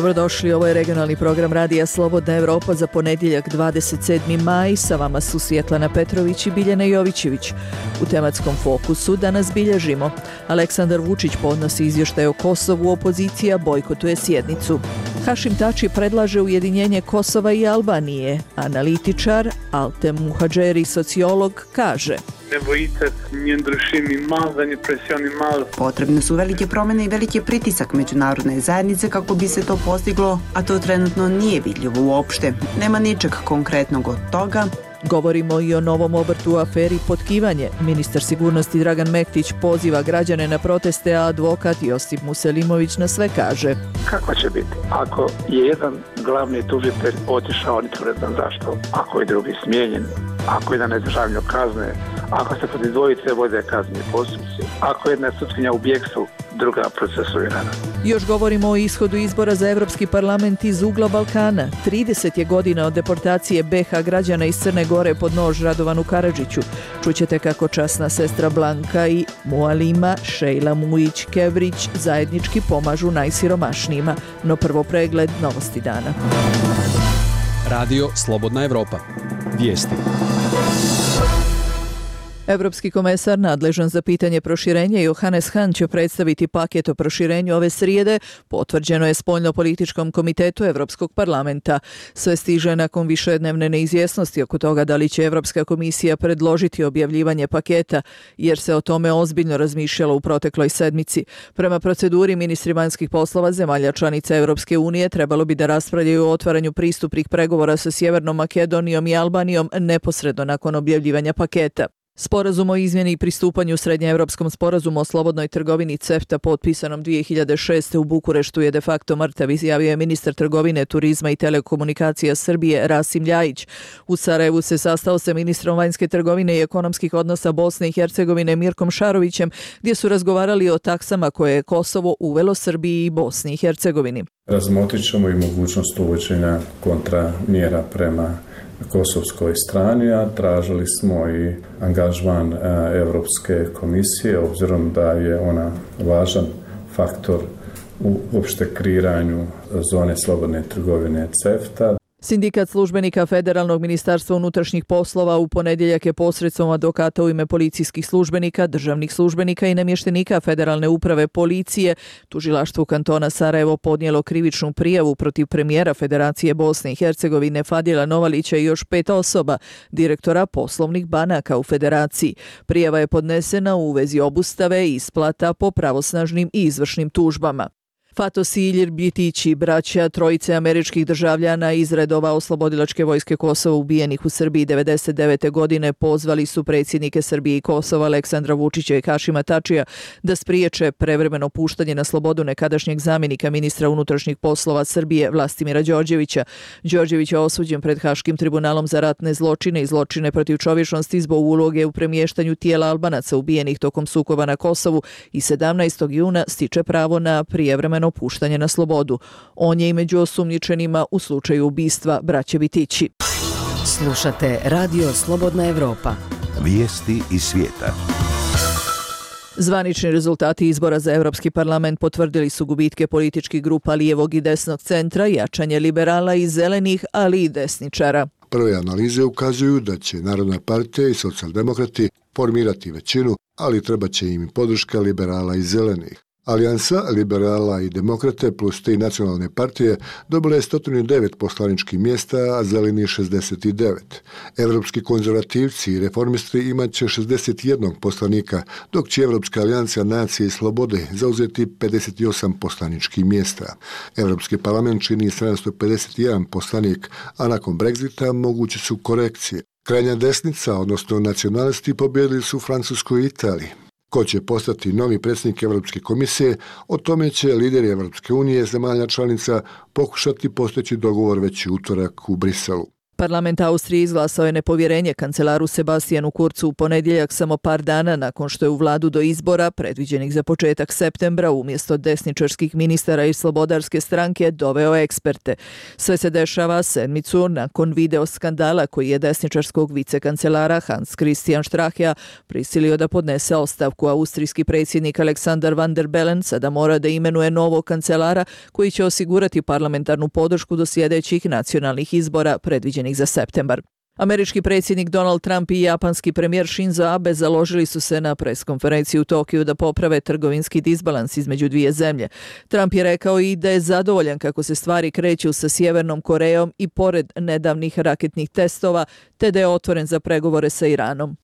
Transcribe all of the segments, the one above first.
Dobrodošli, ovo je regionalni program Radija Slobodna Evropa za ponedjeljak 27. maj. Sa vama su Svjetlana Petrović i Biljana Jovićević. U tematskom fokusu danas bilježimo. Aleksandar Vučić podnosi izvještaj o Kosovu, opozicija bojkotuje sjednicu. Hašim Tači predlaže ujedinjenje Kosova i Albanije. Analitičar Altem Muhadžeri, sociolog, kaže: Potrebne su velike promjene i veliki pritisak međunarodne zajednice kako bi se to postiglo, a to trenutno nije vidljivo uopšte. Nema ničeg konkretnog od toga. Govorimo i o novom obrtu u aferi potkivanje. Ministar sigurnosti Dragan Mektić poziva građane na proteste, a advokat Josip Muselimović na sve kaže: Kako će biti ako je jedan glavni tužitelj otišao, nitko ne znam zašto, ako je drugi smijenjen, ako je na neizdržavanju kazne, ako se protiv dvojice vode kazneni postupci, ako je jedna sutkinja u bijegstvu, druga procesuirana. Još govorimo o ishodu izbora za Evropski parlament iz ugla Balkana. 30 je godina od deportacije BiH građana iz Crne Gore pod nož Radovanu Karadžiću. Čućete kako časna sestra Blanka i Mualima Šejla Mujić-Kevrić zajednički pomažu najsiromašnijima. No prvo pregled novosti dana. Radio Slobodna Evropa. Vijesti. Evropski komesar nadležan za pitanje proširenja Johannes Hahn će predstaviti paket o proširenju ove srijede, potvrđeno je Spoljno-političkom komitetu Evropskog parlamenta. Sve stiže nakon višednevne neizvjesnosti oko toga da li će Evropska komisija predložiti objavljivanje paketa, jer se o tome ozbiljno razmišljalo u protekloj sedmici. Prema proceduri, ministri vanjskih poslova zemalja članica Evropske unije trebalo bi da raspravljaju o otvaranju pristupnih pregovora sa Sjevernom Makedonijom i Albanijom neposredno nakon objavljivanja paketa. Sporazum o izmjeni i pristupanju Srednjeevropskom sporazumu o slobodnoj trgovini CEFTA potpisanom 2006. u Bukureštu je de facto mrtav, izjavio je ministar trgovine, turizma i telekomunikacija Srbije Rasim Ljajić. U Sarajevu se sastao sa ministrom vanjske trgovine i ekonomskih odnosa Bosne i Hercegovine Mirkom Šarovićem, gdje su razgovarali o taksama koje je Kosovo uvelo Srbiji i Bosni i Hercegovini. Razmotrit ćemo i mogućnost uvođenja kontramjera prema kosovskoj strani, a tražili smo i angažman Europske komisije, obzirom da je ona važan faktor u uopšte kreiranju zone slobodne trgovine CEFTA. Sindikat službenika Federalnog ministarstva unutrašnjih poslova u ponedjeljak je posredstvom advokata u ime policijskih službenika, državnih službenika i namještenika Federalne uprave policije tužilaštvu kantona Sarajevo podnijelo krivičnu prijavu protiv premijera Federacije Bosne i Hercegovine Fadila Novalića i još 5 osoba, direktora poslovnih banaka u Federaciji. Prijava je podnesena u vezi obustave i isplata po pravosnažnim i izvršnim tužbama. Fatos i Ilir Bjetići, braća trojice američkih državljana iz redova Oslobodilačke vojske Kosova ubijenih u Srbiji 1999. godine, pozvali su predsjednike Srbije i Kosova Aleksandra Vučića i Hašima Tačija da spriječe prevremeno puštanje na slobodu nekadašnjeg zamjenika ministra unutrašnjih poslova Srbije Vlastimira Đorđevića. Đorđević je osuđen pred Haškim tribunalom za ratne zločine i zločine protiv čovječnosti zbog uloge u premještanju tijela Albanaca ubijenih tokom sukoba na Kosovu i 17. juna stiče pravo na prijevremeno puštanje na slobodu. On je i među osumnjičenima u slučaju ubistva braće Bitići. Slušate Radio Slobodna Evropa. Vijesti iz svijeta. Zvanični rezultati izbora za Evropski parlament potvrdili su gubitke političkih grupa lijevog i desnog centra, jačanje liberala i zelenih, ali i desničara. Prve analize ukazuju da će Narodna partija i socijaldemokrati formirati većinu, ali treba će im podrška liberala i zelenih. Alijansa liberala i demokrate plus 3 nacionalne partije dobila je 109 poslaničkih mjesta, a zeleni 69. Evropski konzervativci i reformisti imat će 61 poslanika, dok će Evropska alijansa nacije i slobode zauzeti 58 poslaničkih mjesta. Evropski parlament čini 751 poslanik, a nakon Brexita moguće su korekcije. Krajnja desnica, odnosno nacionalisti, pobjedili su u Francuskoj i Italiji. Ko će postati novi predsjednik Evropske komisije, o tome će lideri Evropske unije zemalja članica pokušati postići dogovor već u utorak u Briselu. Parlament Austrije izglasao je nepovjerenje kancelaru Sebastijanu Kurzu u ponedjeljak, samo par dana nakon što je u vladu do izbora, predviđenih za početak septembra, umjesto desničarskih ministara i slobodarske stranke doveo eksperte. Sve se dešava sedmicu nakon video skandala koji je desničarskog vicekancelara Hans Christian Strachea prisilio da podnese ostavku. Austrijski predsjednik Alexander Van der Bellen sada mora da imenuje novog kancelara koji će osigurati parlamentarnu podršku do sljedećih nacionalnih izbora predviđenih za septembar. Američki predsjednik Donald Trump i japanski premijer Shinzo Abe založili su se na preskonferenciji u Tokiju da poprave trgovinski disbalans između dvije zemlje. Trump je rekao i da je zadovoljan kako se stvari kreću sa Sjevernom Korejom i pored nedavnih raketnih testova, te da je otvoren za pregovore sa Iranom.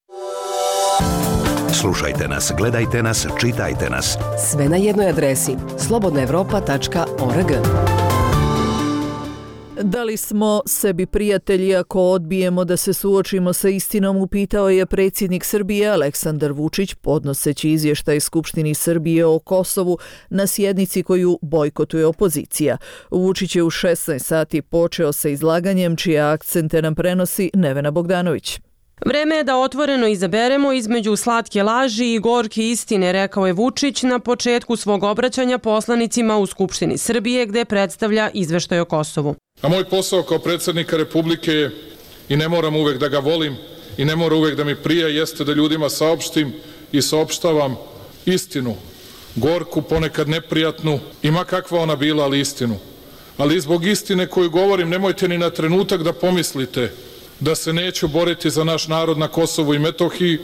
Slušajte nas, gledajte nas, čitajte nas. Sve na jednoj adresi slobodnaevropa.org. Da li smo sebi prijatelji ako odbijemo da se suočimo sa istinom, upitao je predsjednik Srbije Aleksandar Vučić podnoseći izvještaj Skupštini Srbije o Kosovu na sjednici koju bojkotuje opozicija. Vučić je u 16 sati počeo sa izlaganjem čije akcente nam prenosi Nevena Bogdanović. Vreme je da otvoreno izaberemo između slatke laži i gorke istine, rekao je Vučić na početku svog obraćanja poslanicima u Skupštini Srbije gde predstavlja izveštaj o Kosovu. A moj posao kao predsjednika Republike je, i ne moram uvek da ga volim i ne mora uvek da mi prija, jeste da ljudima saopštim i saopštavam istinu, gorku, ponekad neprijatnu, i ma kakva ona bila, ali istinu. Ali zbog istine koju govorim, nemojte ni na trenutak da pomislite da se neću boriti za naš narod na Kosovu i Metohiji,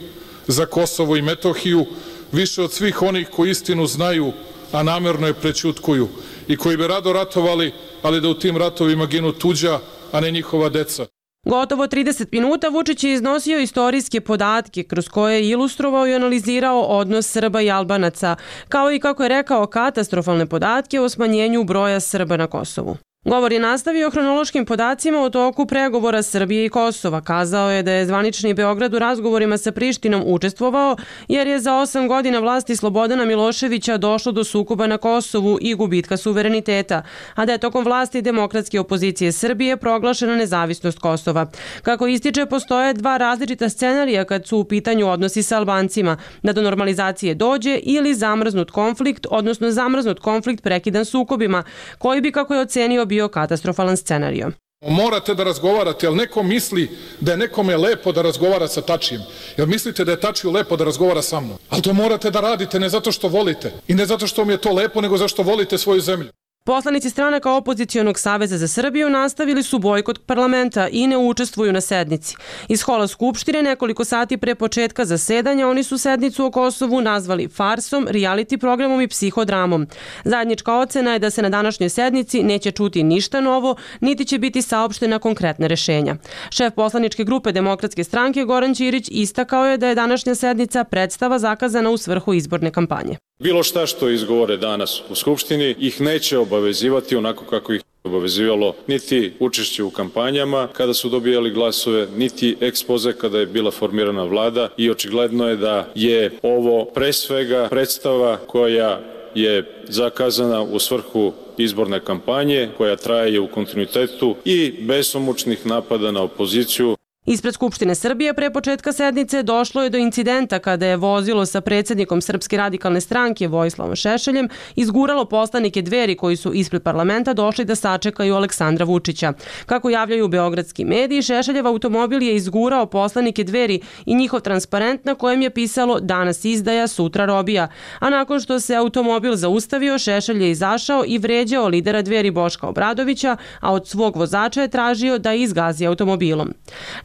za Kosovo i Metohiju, više od svih onih koji istinu znaju, a namerno je prećutkuju i koji bi rado ratovali, ali da u tim ratovima ginu tuđa, a ne njihova deca. Gotovo 30 minuta Vučić je iznosio istorijske podatke kroz koje je ilustrovao i analizirao odnos Srba i Albanaca, kao i, kako je rekao, katastrofalne podatke o smanjenju broja Srba na Kosovu. Govor je nastavio hronološkim podacima o toku pregovora Srbije i Kosova. Kazao je da je zvanični Beograd u razgovorima sa Prištinom učestvovao jer je za 8 godina vlasti Slobodana Miloševića došlo do sukoba na Kosovu i gubitka suvereniteta, a da je tokom vlasti demokratske opozicije Srbije proglašena nezavisnost Kosova. Kako ističe, postoje dva različita scenarija kad su u pitanju odnosi sa Albancima, da do normalizacije dođe ili zamrznut konflikt, odnosno zamrznut konflikt prekidan sukobima, koji bi, kako je ocenio, bio katastrofalan scenario. Morate da razgovarate, ali neko misli da je nekome lepo da razgovara sa Tačijem. Jel mislite da je Tačiju lepo da razgovara sa mnom? Ali to morate da radite ne zato što volite i ne zato što mi je to lepo, nego zašto volite svoju zemlju. Poslanici stranaka Opozicionog saveza za Srbiju nastavili su bojkot parlamenta i ne učestvuju na sednici. Iz hola Skupštine nekoliko sati pre početka zasedanja oni su sednicu o Kosovu nazvali farsom, reality programom i psihodramom. Zajednička ocena je da se na današnjoj sednici neće čuti ništa novo, niti će biti saopštena konkretna rešenja. Šef poslaničke grupe Demokratske stranke Goran Ćirić istakao je da je današnja sednica predstava zakazana u svrhu izborne kampanje. Bilo šta što izgovore danas u Skupštini ih neće obavezivati onako kako ih obavezivalo niti učešće u kampanjama kada su dobijali glasove, niti ekspoze kada je bila formirana vlada, i očigledno je da je ovo pre svega predstava koja je zakazana u svrhu izborne kampanje, koja traje u kontinuitetu i besomučnih napada na opoziciju. Ispred Skupštine Srbije pre početka sednice došlo je do incidenta kada je vozilo sa predsjednikom Srpske radikalne stranke Vojislavom Šešeljem izguralo poslanike Dveri koji su ispred parlamenta došli da sačekaju Aleksandra Vučića. Kako javljaju beogradski mediji, Šešeljev automobil je izgurao poslanike Dveri i njihov transparent na kojem je pisalo "Danas izdaja, sutra robija", a nakon što se automobil zaustavio, Šešelj je izašao i vređao lidera Dveri Boška Obradovića, a od svog vozača je tražio da izgazi automobilom.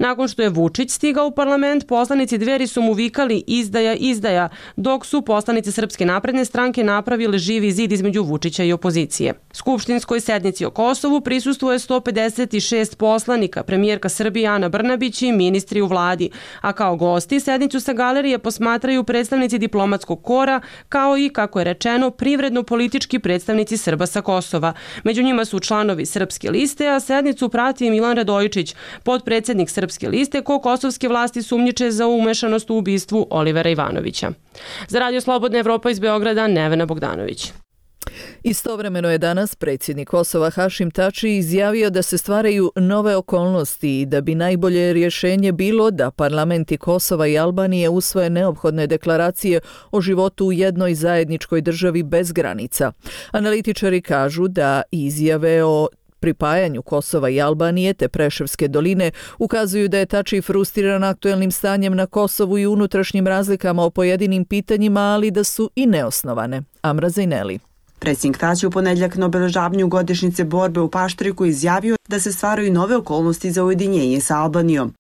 Nakon što je Vučić stigao u parlament, poslanici Dveri su mu vikali "izdaja, izdaja", dok su poslanici Srpske napredne stranke napravili živi zid između Vučića i opozicije. Skupštinskoj sednici o Kosovu prisustvuje 156 poslanika, premijerka Srbije Ana Brnabić i ministri u vladi, a kao gosti sednicu sa galerije posmatraju predstavnici diplomatskog kora, kao i, kako je rečeno, privredno-politički predstavnici Srba sa Kosova. Među njima su članovi Srpske liste, a sednicu prati Milan Radojičić, potpredsjednik Srpske liste, ko kosovske vlasti sumnjiče za umešanost u ubistvu Olivera Ivanovića. Za Radio Slobodna Evropa iz Beograda, Nevena Bogdanović. Istovremeno je danas predsjednik Kosova Hašim Tači izjavio da se stvaraju nove okolnosti i da bi najbolje rješenje bilo da parlamenti Kosova i Albanije usvoje neophodne deklaracije o životu u jednoj zajedničkoj državi bez granica. Analitičari kažu da izjave o pripajanju Kosova i Albanije te Preševske doline ukazuju da je Tači frustriran aktuelnim stanjem na Kosovu i unutrašnjim razlikama o pojedinim pitanjima, ali da su i neosnovane. Amra Zajneli. Predsjednik Tači u ponedjeljak na obeležavanju godišnjice borbe u Paštriku izjavio da se stvaraju nove okolnosti za ujedinjenje sa Albanijom.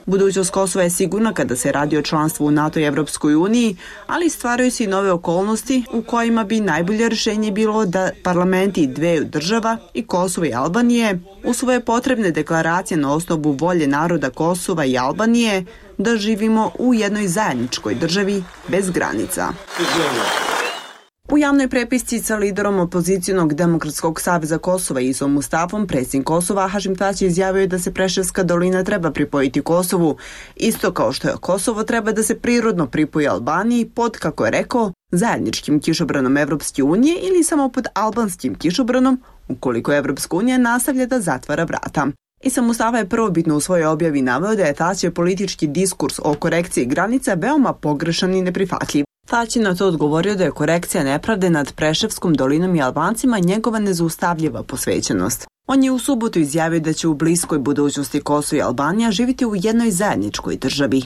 Budućnost Kosova je sigurna kada se radi o članstvu u NATO i Evropskoj uniji, ali stvaraju se i nove okolnosti u kojima bi najbolje rješenje bilo da parlamenti dveju država, i Kosova i Albanije, usvoje potrebne deklaracije na osnovu volje naroda Kosova i Albanije da živimo u jednoj zajedničkoj državi bez granica. U javnoj prepisci sa liderom opozicionog Demokratskog saveza Kosova Isom Mustafom, predsjednik Kosova Hašim Tači izjavio da se Preševska dolina treba pripojiti Kosovu, isto kao što je Kosovo treba da se prirodno pripoji Albaniji pod, kako je rekao, zajedničkim kišobranom Evropske unije ili samo pod albanskim kišobranom ukoliko Evropska unija nastavlja da zatvara vrata. Isom Mustafa je prvobitno u svojoj objavi naveo da je Tačijev politički diskurs o korekciji granica veoma pogrešan i neprihvatljiv. Tači na to odgovorio da je korekcija nepravde nad Preševskom dolinom i Albancima njegova nezaustavljiva posvećenost. On je u subotu izjavio da će u bliskoj budućnosti Kosovo i Albanija živjeti u jednoj zajedničkoj državi.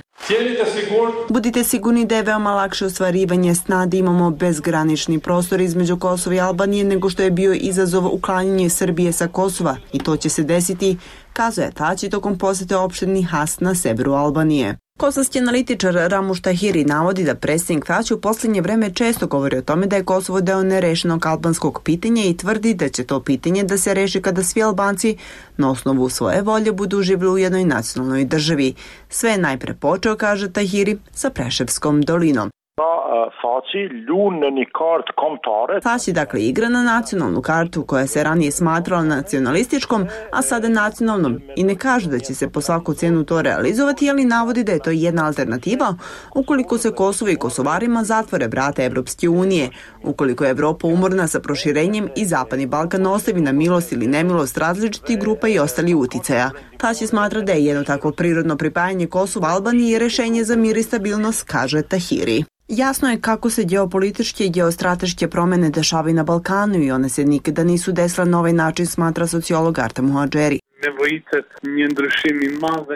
Budite sigurni da je veoma lakše ostvarivanje sna da imamo bezgranični prostor između Kosova i Albanije nego što je bio izazov uklanjanje Srbije sa Kosova, i to će se desiti, kazuje Tači tokom posjete opštini Has na severu Albanije. Kosovski analitičar Ramuš Tahiri navodi da predsjednik Tači u posljednje vreme često govori o tome da je Kosovo deo nerešenog albanskog pitanja i tvrdi da će to pitanje da se reši kada svi Albanci na osnovu svoje volje budu živjeli u jednoj nacionalnoj državi. Sve je najpre počeo, kaže Tahiri, sa Preševskom dolinom. Tači dakle igra na nacionalnu kartu koja se ranije smatrala nacionalističkom, a sada nacionalnom, i ne kaže da će se po svaku cijenu to realizovati, ali navodi da je to jedna alternativa ukoliko se Kosovo i Kosovarima zatvore vrata Evropske unije, ukoliko je Evropa umorna sa proširenjem i Zapadni Balkan ostavi na milost ili nemilost različitih grupa i ostali uticaja. Tači smatra da je jedno takvo prirodno pripajanje Kosova Albaniji rješenje za mir i stabilnost, kaže Tahiri. Jasno je kako se geopolitičke i geostrateške promjene dešavaju na Balkanu i one se nikada nisu desile na ovaj način, smatra sociolog Artem Muhadžeri.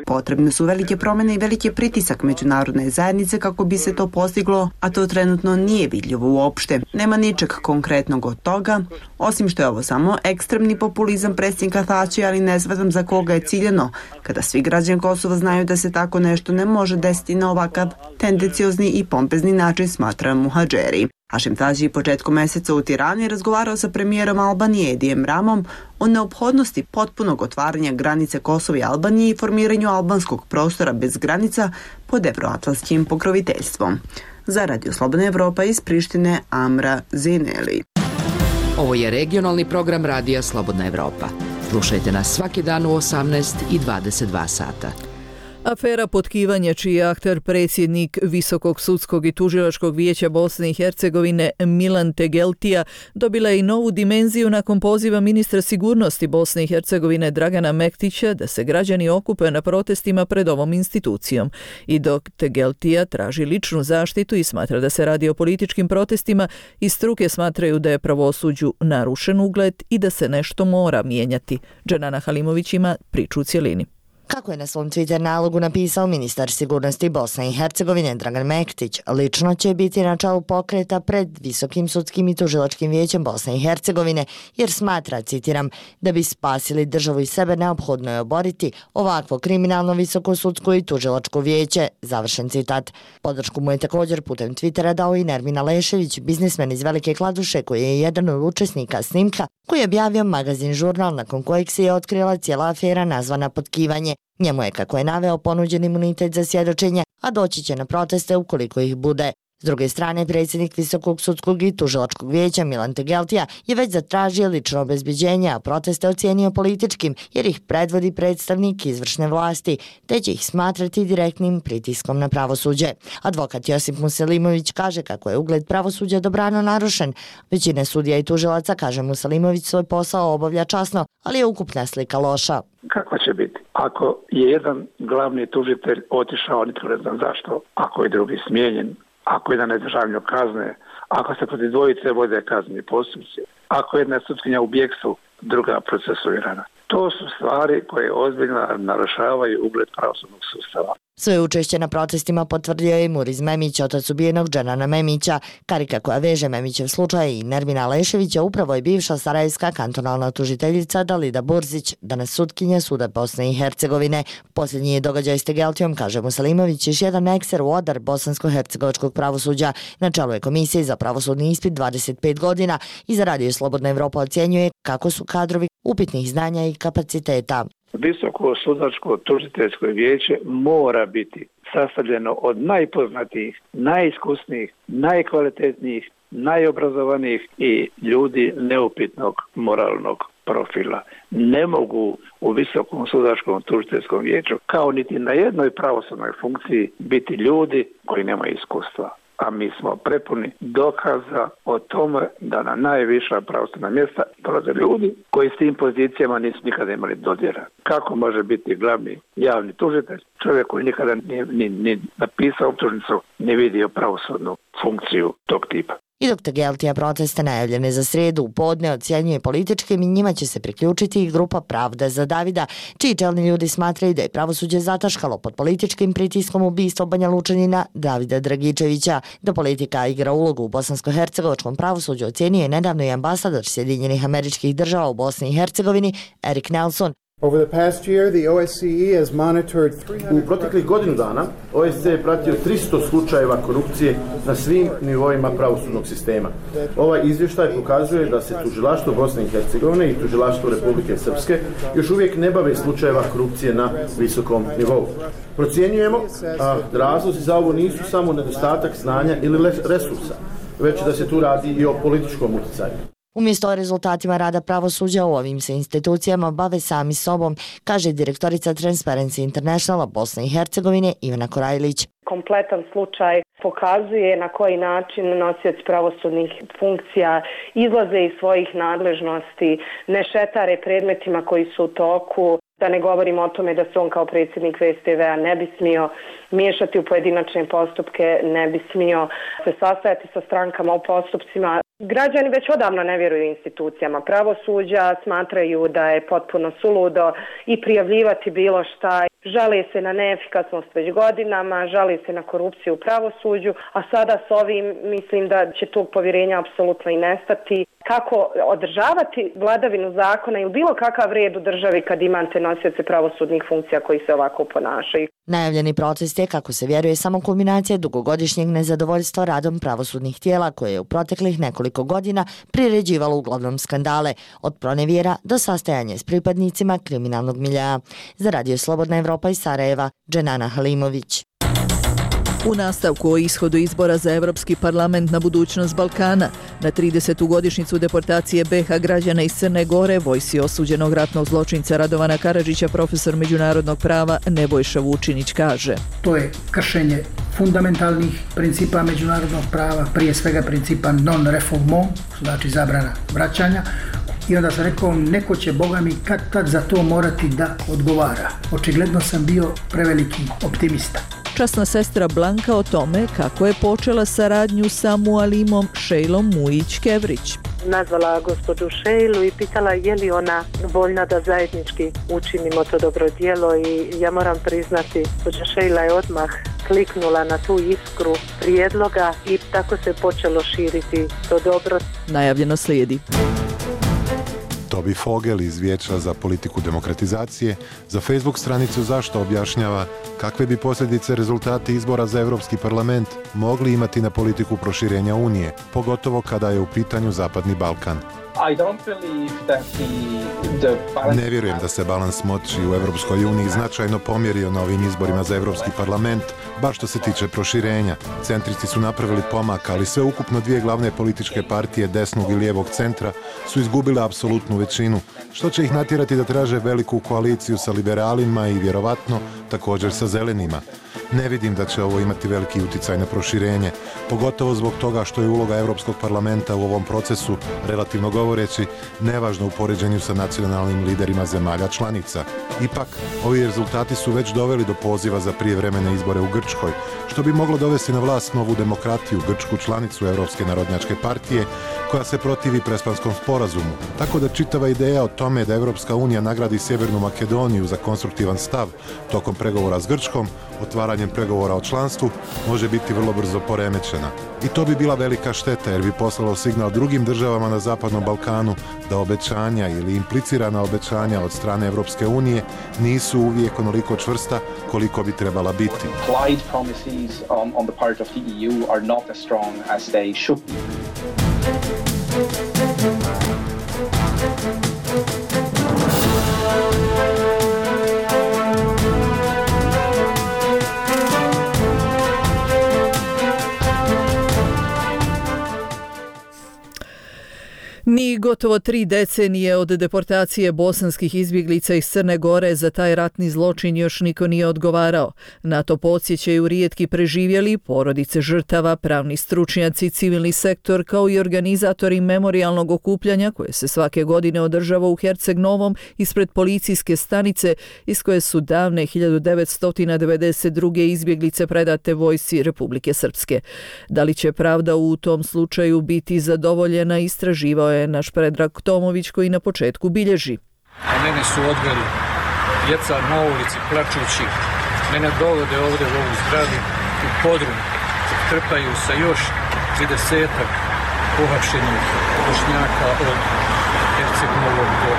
Potrebne su velike promjene i veliki pritisak međunarodne zajednice kako bi se to postiglo, a to trenutno nije vidljivo uopšte. Nema ničeg konkretnog od toga, osim što je ovo samo ekstremni populizam predsjednika Tači, ali ne znam za koga je ciljano, kada svi građani Kosova znaju da se tako nešto ne može desiti na ovakav tendenciozni i pompezni način, smatra Muhadžeri. Hašim Tači početkom mjeseca u Tirani razgovarao sa premijerom Albanije Edijem Ramom o neophodnosti potpunog otvaranja granice Kosova i Albanije i formiranju albanskog prostora bez granica pod evroatlantskim pokroviteljstvom. Za Radio Slobodna Evropa iz Prištine, Amra Zajneli. Ovo je regionalni program Radija Slobodna Evropa. Slušajte nas svaki dan u 18 i 22 sata. Afera potkivanja, čiji je akter predsjednik Visokog sudskog i tužilačkog vijeća Bosne i Hercegovine Milan Tegeltija, dobila je i novu dimenziju nakon poziva ministra sigurnosti Bosne i Hercegovine Dragana Mektića da se građani okupe na protestima pred ovom institucijom. I dok Tegeltija traži ličnu zaštitu i smatra da se radi o političkim protestima, i struke smatraju da je pravosuđu narušen ugled i da se nešto mora mijenjati. Dženana Halimović ima priču u cjelini. Kako je na svom Twitter nalogu napisao ministar sigurnosti Bosne i Hercegovine Dragan Mektić, lično će biti na čelu pokreta pred Visokim sudskim i tužilačkim vijećem Bosne i Hercegovine, jer smatra, citiram, da bi spasili državu i sebe neophodno je oboriti ovakvo kriminalno Visoko sudsko i tužilačko vijeće, završen citat. Podršku mu je također putem Twittera dao i Nermin Alešević, biznismen iz Velike Kladuše, koji je jedan od učesnika snimka koji je objavio magazin Žurnal, nakon kojeg se je otkrila cijela afera nazvana potkivanje. Njemu je, kako je naveo, ponuđen imunitet za svjedočenje, a doći će na proteste ukoliko ih bude. S druge strane, predsjednik Visokog sudskog i tužilačkog vijeća Milan Tegeltija je već zatražio lično obezbeđenje, a proteste ocijenio političkim jer ih predvodi predstavnik izvršne vlasti, te će ih smatrati direktnim pritiskom na pravosuđe. Advokat Josip Muselimović kaže kako je ugled pravosuđa dobrano narušen. Većina sudija i tužilaca, kaže Muselimović, svoj posao obavlja časno, ali je ukupna slika loša. Kako će biti? Ako je jedan glavni tužitelj otišao, nitko ne znam zašto, ako je drugi smijenjen, ako jedan ne državljanju kazne, ako se protiv dvojice vode kazneni postupci, ako jedna sutkinja u bijegstvu, druga procesuirana. To su stvari koje ozbiljno narušavaju ugled pravosudnog sustava. Svoje učešće na protestima potvrdio je Muriz Memić, otac ubijenog Dženana Memića. Karika koja veže Memićev slučaj i Nermina Leševića upravo je bivša sarajevska kantonalna tužiteljica Dalida Burzić, danas sutkinja Suda Bosne i Hercegovine. Posljednji je događaj s Tegeltijom, kaže Muselimović, još jedan ekser u odar bosansko-hercegovačkog pravosuđa. Na čelu je komisije za pravosudni ispit 25 godina i za Radio Slobodna Evropa ocjenjuje kako su kadrovi upitnih znanja i kapaciteta. Visoko sudačko tužiteljsko vijeće mora biti sastavljeno od najpoznatijih, najiskusnijih, najkvalitetnijih, najobrazovanijih i ljudi neupitnog moralnog profila. Ne mogu u Visokom sudačkom tužiteljskom vijeću, kao niti na jednoj pravosudnoj funkciji, biti ljudi koji nemaju iskustva. A mi smo prepuni dokaza o tome da na najviša pravosudna mjesta dolaze ljudi koji s tim pozicijama nisu nikada imali dodira. Kako može biti glavni javni tužitelj čovjek koji nikada ni napisao optužnicu, ni vidio pravosudnu funkciju tog tipa? I dok Tegeltija proteste najavljene za sredu u podne ocjenjuje političkim, i njima će se priključiti i grupa Pravda za Davida, čiji čelni ljudi smatraju da je pravosuđe zataškalo pod političkim pritiskom ubistva Banja Lučanina Davida Dragičevića. Da politika igra ulogu u bosansko-hercegovačkom pravosuđu ocjenio je nedavno i ambasador Sjedinjenih Američkih Država u Bosni i Hercegovini Erik Nelson. U proteklih godinu dana OSCE je pratio 300 slučajeva korupcije na svim nivoima pravosudnog sistema. Ovaj izvještaj pokazuje da se tužilaštvo Bosne i Hercegovine i tužilaštvo Republike Srpske još uvijek ne bave slučajeva korupcije na visokom nivou. Procjenjujemo da razlozi za ovo nisu samo nedostatak znanja ili resursa, već da se tu radi i o političkom utjecaju. Umjesto o rezultatima rada pravosuđa u ovim se institucijama bave sami sobom, kaže direktorica Transparency Internationala Bosne i Hercegovine Ivana Korajlić. Kompletan slučaj pokazuje na koji način nosioci pravosudnih funkcija izlaze iz svojih nadležnosti, ne šetare predmetima koji su u toku. Da ne govorimo o tome da se on kao predsjednik VSTV-a ne bi smio miješati u pojedinačne postupke, ne bi smio se sastajati sa strankama u postupcima. Građani već odavno ne vjeruju institucijama pravosuđa, smatraju da je potpuno suludo i prijavljivati bilo šta. Žale se na neefikasnost već godinama, žale se na korupciju u pravosuđu, a sada s ovim mislim da će tog povjerenja apsolutno i nestati. Kako održavati vladavinu zakona ili bilo kakav red u državi kad imate nosioce pravosudnih funkcija koji se ovako ponašaju? Najavljeni protest je, kako se vjeruje, samo kulminacija dugogodišnjeg nezadovoljstva radom pravosudnih tijela koje je u proteklih nekoliko godina priređivalo uglavnom skandale, od pronevjera do sastajanja s pripadnicima kriminalnog miljea. Za Radio Slobodna Evropa iz Sarajeva, Dženana Halimović. U nastavku o ishodu izbora za Evropski parlament na budućnost Balkana, na 30. godišnjicu deportacije BiH građana iz Crne Gore, vojsci osuđenog ratnog zločinca Radovana Karadžića, profesor međunarodnog prava Nebojša Vučinić kaže: To je kršenje fundamentalnih principa međunarodnog prava, prije svega principa non-refoulement, znači zabrana vraćanja. I onda sam rekao, neko će, Boga mi, kad tad za to morati da odgovara. Očigledno sam bio preveliki optimista. Časna sestra Blanka o tome kako je počela saradnju sa Mualimom Šejlom Mujić-Kevrić. Nazvala gospođu Šejlu i pitala je li ona voljna da zajednički učinimo to dobro djelo, i ja moram priznati, gospođa Šejla je odmah kliknula na tu iskru prijedloga i tako se počelo širiti to dobro. Najavljeno slijedi. Toby Fogel iz Vijeća za politiku demokratizacije za Facebook stranicu Zašto objašnjava kakve bi posljedice rezultati izbora za Europski parlament mogli imati na politiku proširenja Unije, pogotovo kada je u pitanju Zapadni Balkan. Ne vjerujem da se balans moći u Europskoj uniji značajno pomjerio na ovim izborima za Europski parlament, baš što se tiče proširenja. Centristi su napravili pomak, ali sve ukupno dvije glavne političke partije desnog i lijevog centra su izgubile apsolutnu većinu, što će ih natjerati da traže veliku koaliciju sa liberalima i vjerovatno također sa zelenima. Ne vidim da će ovo imati veliki utjecaj na proširenje, pogotovo zbog toga što je uloga Europskog parlamenta u ovom procesu, relativno govoreći, nevažna u poređenju sa nacionalnim liderima zemalja članica. Ipak, ovi rezultati su već doveli do poziva za prijevremene izbore u Grčkoj, što bi moglo dovesti na vlast Novu demokratiju, grčku članicu Europske narodnjačke partije, koja se protivi Prespanskom sporazumu. Tako da čitava ideja o tome da Europska unija nagradi Sjevernu Makedoniju za konstruktivan stav tokom pregovora s Grčkom, otvaranjem pregovora o članstvu, može biti vrlo brzo poremećena. I to bi bila velika šteta jer bi poslalo signal drugim državama na Zapadnom Balkanu da obećanja ili implicirana obećanja od strane Europske unije nisu uvijek onoliko čvrsta koliko bi trebala biti. Implied promises on the part of the EU are not as strong as they should be. Ni gotovo 3 decenije od deportacije bosanskih izbjeglica iz Crne Gore za taj ratni zločin još niko nije odgovarao. Na to podsjećaju rijetki preživjeli, porodice žrtava, pravni stručnjaci, civilni sektor kao i organizatori memorijalnog okupljanja koje se svake godine održava u Herceg Novom ispred policijske stanice iz koje su davne 1992. izbjeglice predate vojsci Republike Srpske. Da li će pravda u tom slučaju biti zadovoljena, istraživao je naš Predrag Tomović koji na početku bilježi. A mene su odveli djeca na ulici plačući, mene dovode ovdje u ovu zgradu u podrum, trpaju sa još 30-ak pohapšenih Bošnjaka od Herceg Novog do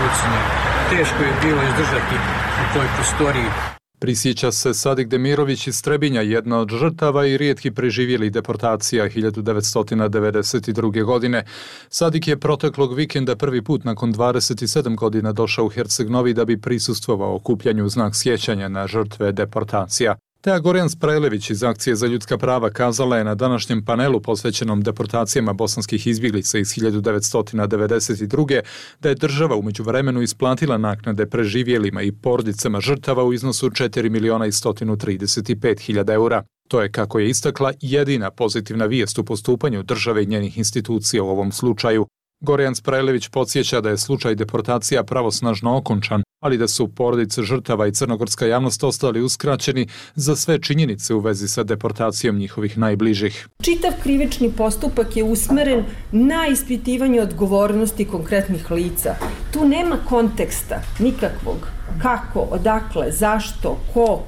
Ulcinja. Teško je bilo izdržati u toj prostoriji. Prisjeća se Sadik Demirović iz Trebinja, jedna od žrtava i rijetki preživjeli deportacija 1992. godine. Sadik je proteklog vikenda prvi put nakon 27 godina došao u Herceg Novi da bi prisustvovao okupljanju u znak sjećanja na žrtve deportacija. Teja Gorjan Sprajlević iz Akcije za ljudska prava kazala je na današnjem panelu posvećenom deportacijama bosanskih izbjeglica iz 1992. da je država u međuvremenu isplatila naknade preživjelima i porodicama žrtava u iznosu 4.135.000 eura. To je, kako je istakla, jedina pozitivna vijest u postupanju države i njenih institucija u ovom slučaju. Gorjan Sprajlević podsjeća da je slučaj deportacija pravosnažno okončan, ali da su porodice žrtava i crnogorska javnost ostali uskraćeni za sve činjenice u vezi sa deportacijom njihovih najbližih. Čitav krivični postupak je usmeren na ispitivanje odgovornosti konkretnih lica. Tu nema konteksta nikakvog. Kako, odakle, zašto, ko,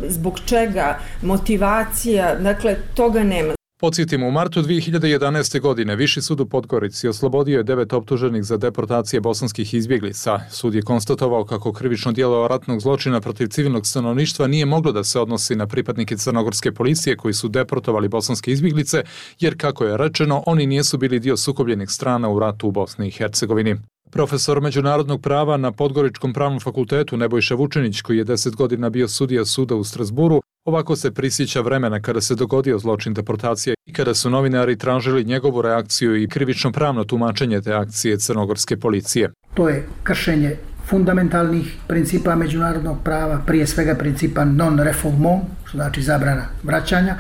zbog čega, motivacija, dakle toga nema. Podsjetimo, u martu 2011. godine Viši sud u Podgorici oslobodio je 9 optuženih za deportacije bosanskih izbjeglica. Sud je konstatovao kako krivično djelo ratnog zločina protiv civilnog stanovništva nije moglo da se odnosi na pripadnike crnogorske policije koji su deportovali bosanske izbjeglice, jer, kako je rečeno, oni nisu bili dio sukobljenih strana u ratu u Bosni i Hercegovini. Profesor međunarodnog prava na Podgoričkom pravnom fakultetu Nebojša Vučinić, koji je 10 godina bio sudija suda u Strasburu, ovako se prisjeća vremena kada se dogodio zločin deportacije i kada su novinari tražili njegovu reakciju i krivično pravno tumačenje te akcije crnogorske policije. To je kršenje fundamentalnih principa međunarodnog prava, prije svega principa non-refoulement, što znači zabrana vraćanja.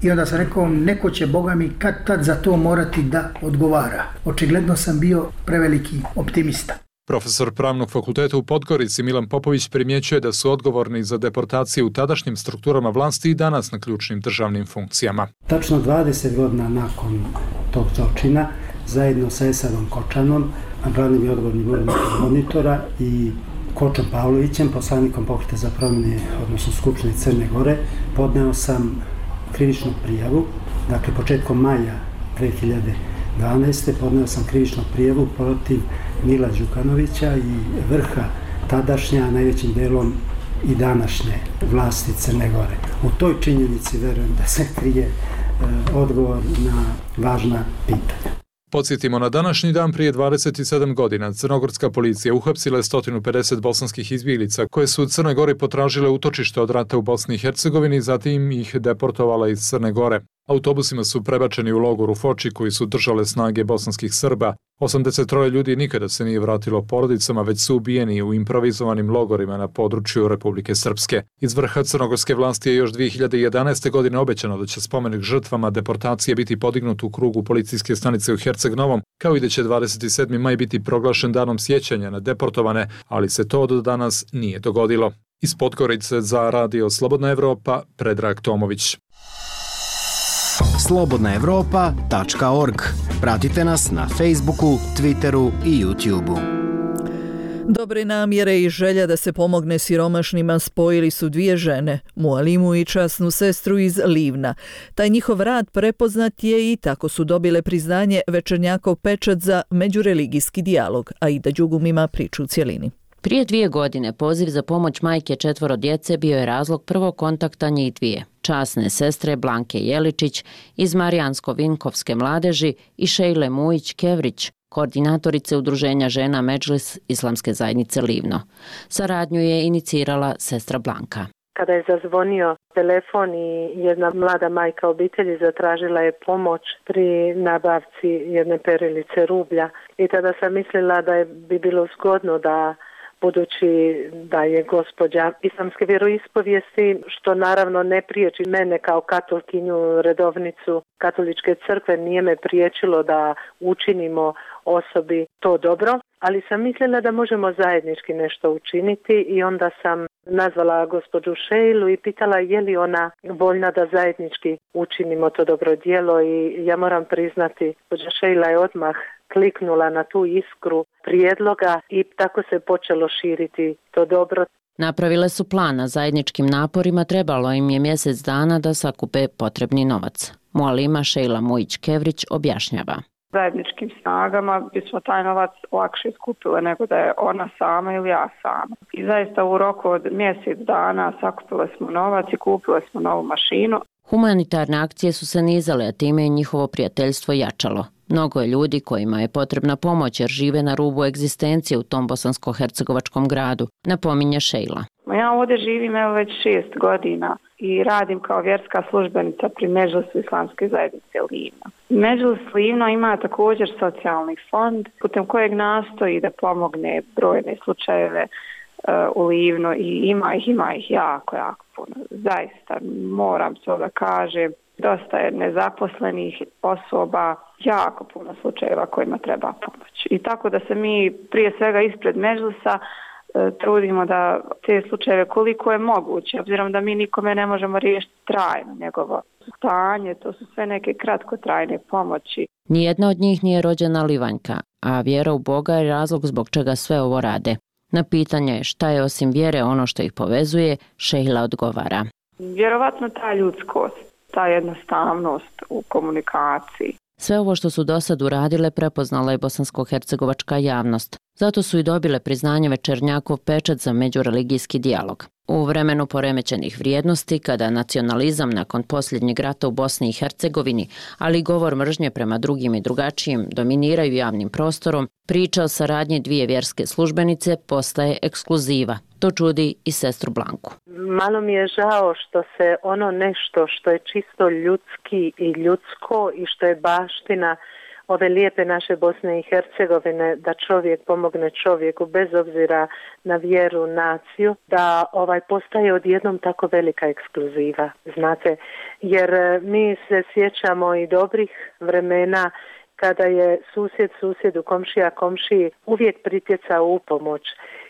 I onda sam rekao, neko će, Boga mi, kad tad za to morati da odgovara. Očigledno sam bio preveliki optimista. Profesor pravnog fakulteta u Podgorici Milan Popović primjećuje da su odgovorni za deportacije u tadašnjim strukturama vlasti i danas na ključnim državnim funkcijama. Tačno 20 godina nakon tog zločina, zajedno sa Esadom Kočanom, glavnim i odgovornim urednikom Monitora i Kočom Pavlovićem, poslanikom Pokreta za promjene, odnosno Skupštine Crne Gore, podneo sam krivičnu prijavu. Dakle, početkom maja 2012. podneo sam krivičnu prijavu protiv Mila Đukanovića i vrha tadašnja, najvećim delom i današnje vlasti Crne Gore. U toj činjenici verujem da se krije odgovor na važna pitanja. Podsjetimo, na današnji dan prije 27 godina crnogorska policija uhapsila je 150 bosanskih izbjeglica koje su u Crnoj Gori potražile utočište od rata u Bosni i Hercegovini, zatim ih deportovala iz Crne Gore. Autobusima su prebačeni u logor u Foči koji su držale snage bosanskih Srba. 83 ljudi nikada se nije vratilo porodicama, već su ubijeni u improvizovanim logorima na području Republike Srpske. Iz vrha crnogorske vlasti je još 2011. godine obećano da će spomenik žrtvama deportacije biti podignut u krugu policijske stanice u Herceg Novom, kao i da će 27. maj biti proglašen danom sjećanja na deportovane, ali se to do danas nije dogodilo. Iz Podgorice za Radio Slobodna Evropa, Predrag Tomović. slobodnaevropa.org. Pratite nas na Facebooku, Twitteru i YouTubeu. Dobre namjere i želja da se pomogne siromašnima spojili su dvije žene, Mualimu i časnu sestru iz Livna. Taj njihov rad prepoznat je i tako su dobile priznanje Večernjakov pečat za međureligijski dijalog, a Ida Đugum ima priču u cjelini. Prije 2 godine poziv za pomoć majke 4 djece bio je razlog prvog kontakta njih dvije, časne sestre Blanke Jeličić iz Marijansko-Vinkovske mladeži i Šejle Mujić-Kevrić, koordinatorice udruženja žena Medžlis Islamske zajednice Livno. Saradnju je inicirala sestra Blanka. Kada je zazvonio telefon i jedna mlada majka obitelji zatražila je pomoć pri nabavci jedne perilice rublja i tada sam mislila da bi bilo zgodno da, budući da je gospođa islamske vjeroispovijesti, što naravno ne priječi mene kao katolkinju, redovnicu katoličke crkve, nije me priječilo da učinimo osobi to dobro, ali sam mislila da možemo zajednički nešto učiniti i onda sam nazvala gospođu Šejlu i pitala je li ona voljna da zajednički učinimo to dobro djelo i ja moram priznati, gospođa Šejla je odmah kliknula na tu iskru prijedloga i tako se počelo širiti to dobro. Napravile su plan, na zajedničkim naporima trebalo im je mjesec dana da sakupe potrebni novac. Mualima Šejla Mujić-Kevrić objašnjava. Zajedničkim snagama bismo taj novac lakše skupile nego da je ona sama ili ja sama. I zaista u roku od mjesec dana sakupile smo novac i kupile smo novu mašinu. Humanitarne akcije su se nizale, a time je njihovo prijateljstvo jačalo. Mnogo je ljudi kojima je potrebna pomoć jer žive na rubu egzistencije u tom bosansko-hercegovačkom gradu, napominje Šejla. Ja ovdje živim već 6 godina i radim kao vjerska službenica pri Medžlisu Islamske zajednice Livno. Medžlis Livno ima također socijalni fond putem kojeg nastoji da pomogne brojne slučajeve u Livnu i ima ih jako puno. Zaista moram to da kažem. Dosta je nezaposlenih osoba, jako puno slučajeva kojima treba pomoć. I tako da se mi prije svega ispred Medžlisa trudimo da te slučajeve koliko je moguće, obzirom da mi nikome ne možemo riješiti trajno njegovo stanje, to su sve neke kratkotrajne pomoći. Nijedna od njih nije rođena Livanjka, a vjera u Boga je razlog zbog čega sve ovo rade. Na pitanje šta je osim vjere ono što ih povezuje, Šejla odgovara. Vjerovatno ta ljudskost, ta jednostavnost u komunikaciji. Sve ovo što su do sad uradile prepoznala je bosansko-hercegovačka javnost. Zato su i dobile priznanje Večernjakov pečat za međureligijski dijalog. U vremenu poremećenih vrijednosti, kada nacionalizam nakon posljednjeg rata u Bosni i Hercegovini, ali i govor mržnje prema drugim i drugačijim dominiraju javnim prostorom, priča o saradnji dvije vjerske službenice postaje ekskluziva. To čudi i sestru Blanku. Malo mi je žao što se ono nešto što je čisto ljudski i ljudsko i što je baština ove lijepe naše Bosne i Hercegovine, da čovjek pomogne čovjeku bez obzira na vjeru, naciju, da postaje odjednom tako velika ekskluziva, znate, jer mi se sjećamo i dobrih vremena kada je susjed susjedu, komšija komšiji uvijek pritjecao u pomoć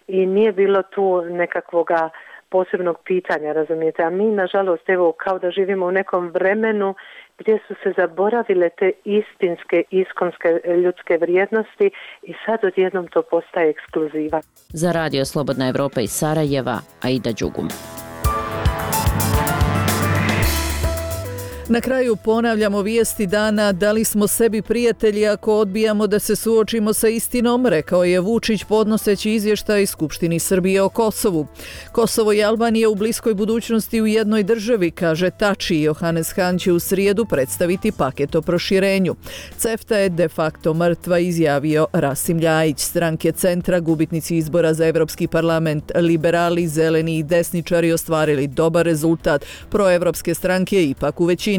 i nije bilo tu nekakvoga posebnog pitanja, razumijete, a mi nažalost evo kao da živimo u nekom vremenu gdje su se zaboravile te istinske, iskonske ljudske vrijednosti i sad odjednom to postaje ekskluziva. Za Radio Slobodna Evropa iz Sarajeva, Aida Đugum. Na kraju ponavljamo vijesti dana: da li smo sebi prijatelji ako odbijamo da se suočimo sa istinom, rekao je Vučić podnoseći izvještaj Skupštini Srbije o Kosovu. Kosovo i Albanija u bliskoj budućnosti u jednoj državi, kaže Tači. Johannes Hahn će u srijedu predstaviti paket o proširenju. CEFTA je de facto mrtva, izjavio Rasim Ljajić. Stranke centra, gubitnici izbora za Evropski parlament, liberali, zeleni i desničari ostvarili dobar rezultat. Proevropske stranke ipak u većini.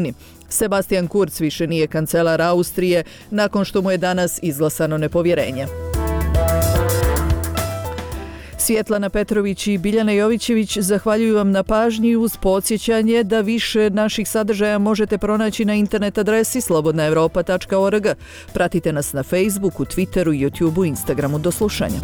Sebastian Kurz više nije kancelar Austrije nakon što mu je danas izglasano nepovjerenje. Svjetlana Petrović i Biljana Jovićević zahvaljuju vam na pažnji uz podsjećanje da više naših sadržaja možete pronaći na internet adresi slobodnaevropa.org. Pratite nas na Facebooku, Twitteru, YouTubeu, Instagramu. Do slušanja.